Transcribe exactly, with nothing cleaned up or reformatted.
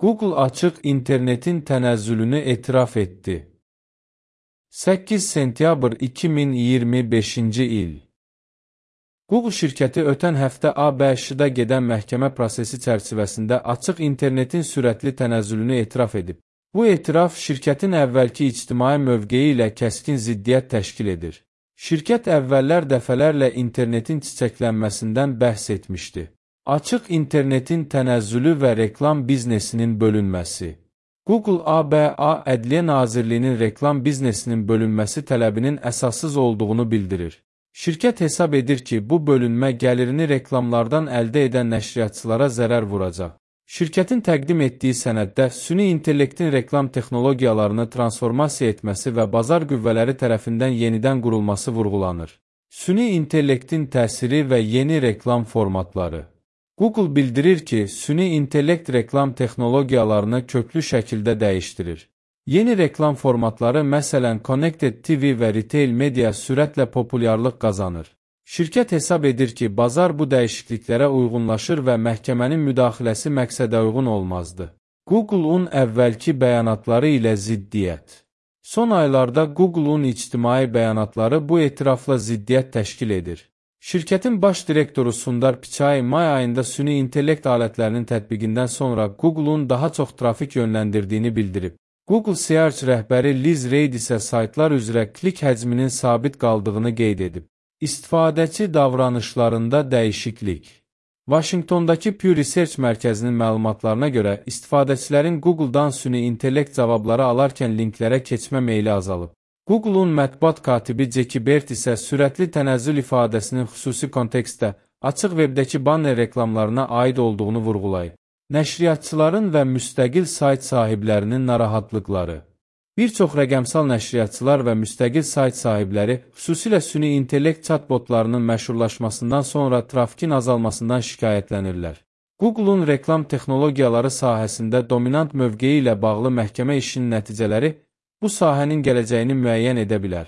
Google açıq internetin tənəzzülünü etiraf etdi. səkkiz sentyabr iki min iyirmi beşinci il. Google şirkəti ötən həftə A B Ş-da gedən məhkəmə prosesi çərçivəsində açıq internetin sürətli tənəzzülünü etiraf edib. Bu etiraf şirkətin əvvəlki ictimai mövqeyi ilə kəskin ziddiyyət təşkil edir. Şirkət əvvəllər dəfələrlə internetin çiçəklənməsindən bəhs etmişdi. Açıq internetin tənəzzülü və reklam biznesinin bölünməsi. Google A B A Ədliyyə Nazirliyinin reklam biznesinin bölünməsi tələbinin əsassız olduğunu bildirir. Şirkət hesab edir ki, bu bölünmə gəlirini reklamlardan əldə edən nəşriyyatçılara zərər vuracaq. Şirkətin təqdim etdiyi sənəddə süni intellektin reklam texnologiyalarını transformasiya etməsi və bazar qüvvələri tərəfindən yenidən qurulması vurğulanır. Süni intellektin təsiri və yeni reklam formatları. Google bildirir ki, süni intellekt reklam texnologiyalarını köklü şəkildə dəyişdirir. Yeni reklam formatları, məsələn, Connected T V və Retail Media sürətlə populyarlıq qazanır. Şirkət hesab edir ki, bazar bu dəyişikliklərə uyğunlaşır və məhkəmənin müdaxiləsi məqsədə uyğun olmazdı. Google-un əvvəlki bəyanatları ilə ziddiyyət. Son aylarda Google-un ictimai bəyanatları bu etirafla ziddiyyət təşkil edir. Şirkətin baş direktoru Sundar Pichai may ayında süni intellekt alətlərinin tətbiqindən sonra Google-un daha çox trafik yönləndirdiyini bildirib. Google Search rəhbəri Liz Reid isə saytlar üzrə klik həcminin sabit qaldığını qeyd edib. İstifadəçi davranışlarında dəyişiklik. Washingtondakı Pew Research mərkəzinin məlumatlarına görə istifadəçilərin Google-dan süni intellekt cavabları alarkən linklərə keçmə meyli azalıb. Google-un mətbuat katibi Jackie Bert isə sürətli tənəzzül ifadəsinin xüsusi kontekstdə açıq webdəki banner reklamlarına aid olduğunu vurğulayıb. Nəşriyyatçıların və müstəqil sayt sahiblərinin narahatlıqları. Bir çox rəqəmsal nəşriyyatçılar və müstəqil sayt sahibləri xüsusilə süni intellekt chatbotlarının məşhurlaşmasından sonra trafikin azalmasından şikayətlənirlər. Google-un reklam texnologiyaları sahəsində dominant mövqeyi ilə bağlı məhkəmə işinin nəticələri bu sahənin gələcəyini müəyyən edə bilər.